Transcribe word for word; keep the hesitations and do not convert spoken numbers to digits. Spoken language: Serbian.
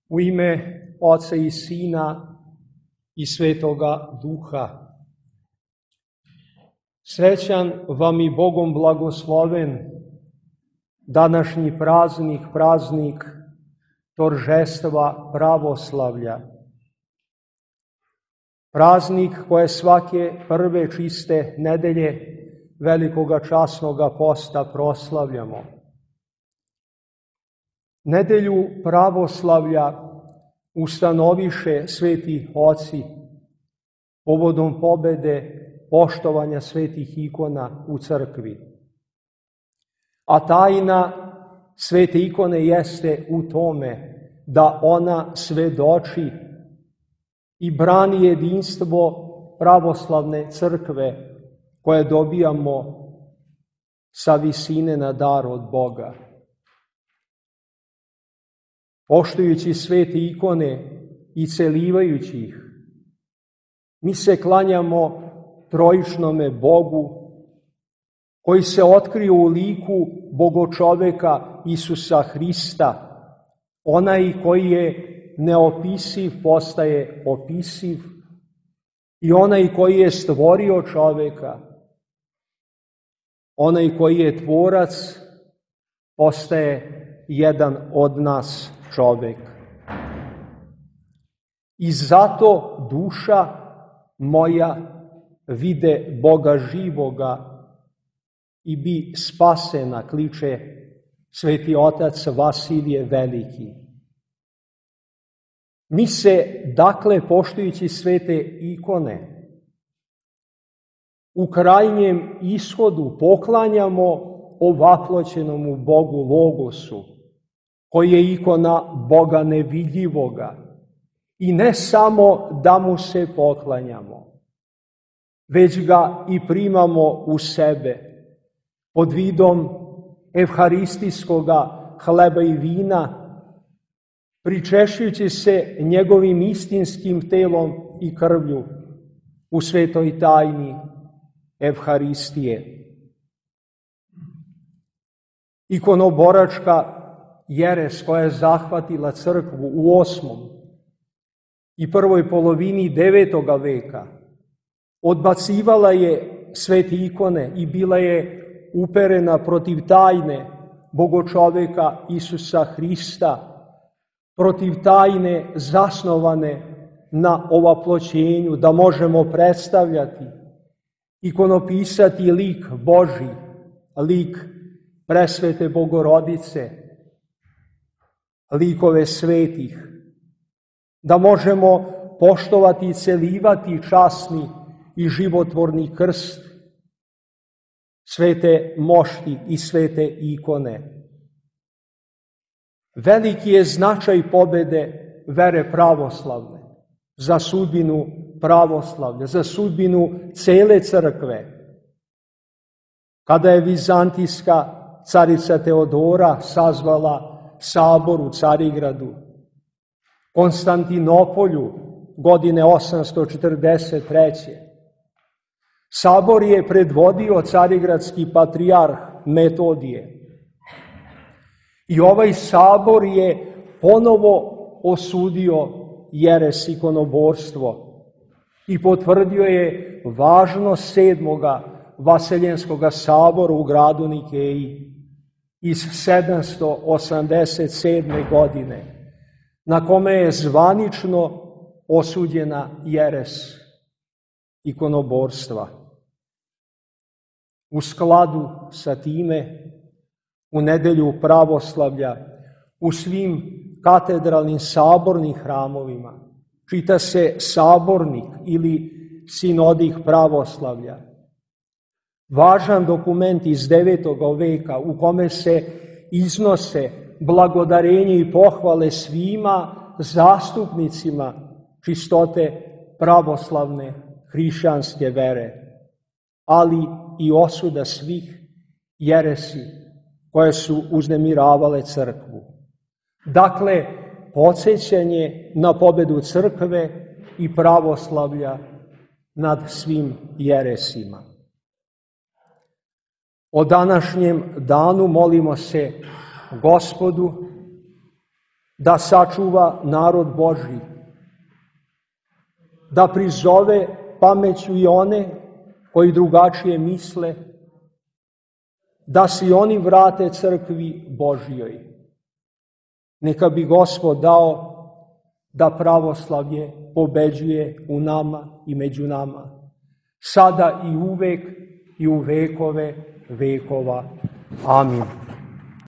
U ime Oca i Sina i Svetoga Duha. Srećan vam i Bogom blagosloven današnji praznik, praznik Toržestva pravoslavlja. Praznik koje svake prve čiste nedelje velikoga časnoga posta proslavljamo. Nedelju pravoslavlja ustanoviše sveti oci povodom pobede poštovanja svetih ikona u crkvi. A tajna svete ikone jeste u tome da ona svedoči i brani jedinstvo pravoslavne crkve koje dobijamo sa visine na dar od Boga. Poštujući svete ikone i celivajući ih, mi se klanjamo trojičnome Bogu koji se otkrio u liku Bogočoveka Isusa Hrista, onaj koji je neopisiv postaje opisiv i onaj koji je stvorio čoveka, onaj koji je tvorac postaje jedan od nas čovek. I zato duša moja vide Boga živoga i bi spasena, kliče sveti otac Vasilije Veliki. Mi se, dakle, poštujući svete ikone, u krajnjem ishodu poklanjamo ovaploćenomu Bogu Logosu, koji je ikona Boga nevidljivoga. I ne samo da mu se poklanjamo, već ga i primamo u sebe pod vidom evharistijskoga hleba i vina, pričešćujući se njegovim istinskim telom i krvlju u svetoj tajni evharistije. Ikonoboračka jeres koja je zahvatila crkvu u osmom i prvoj polovini devetoga veka odbacivala je svete ikone i bila je uperena protiv tajne Bogočoveka Isusa Hrista, protiv tajne zasnovane na ovaploćenju, da možemo predstavljati, ikonopisati lik Božji, lik presvete Bogorodice, likove svetih, da možemo poštovati i celivati časni i životvorni krst, svete mošti i svete ikone. Veliki je značaj pobede vere pravoslavne za sudbinu pravoslavlja, za sudbinu cele crkve. Kada je vizantijska carica Teodora sazvala sabor u Carigradu, Konstantinopolju, godine osamsto četrdeset treće. Sabor je predvodio carigradski patrijarh Metodije. I ovaj sabor je ponovo osudio jeres ikonoborstvo i potvrdio je važnost sedmoga Vaseljenskoga sabora u gradu Nikeji iz sedamsto osamdeset sedme. godine, na kome je zvanično osuđena jeres ikonoborstva. U skladu sa time, u nedelju pravoslavlja, u svim katedralnim sabornim hramovima, čita se sabornik ili sinodik pravoslavlja. Važan dokument iz devetoga veka u kome se iznose blagodarenje i pohvale svima zastupnicima čistote pravoslavne hrišćanske vere, ali i osuda svih jeresi koje su uznemiravale crkvu. Dakle, podsjećanje na pobedu crkve i pravoslavlja nad svim jeresima. O današnjem danu molimo se Gospodu da sačuva narod Božji, da prizove pameću i one koji drugačije misle, da se i oni vrate crkvi Božjoj. Neka bi Gospod dao da pravoslavlje pobeđuje u nama i među nama, sada i uvek i u vekove vekova. Amin.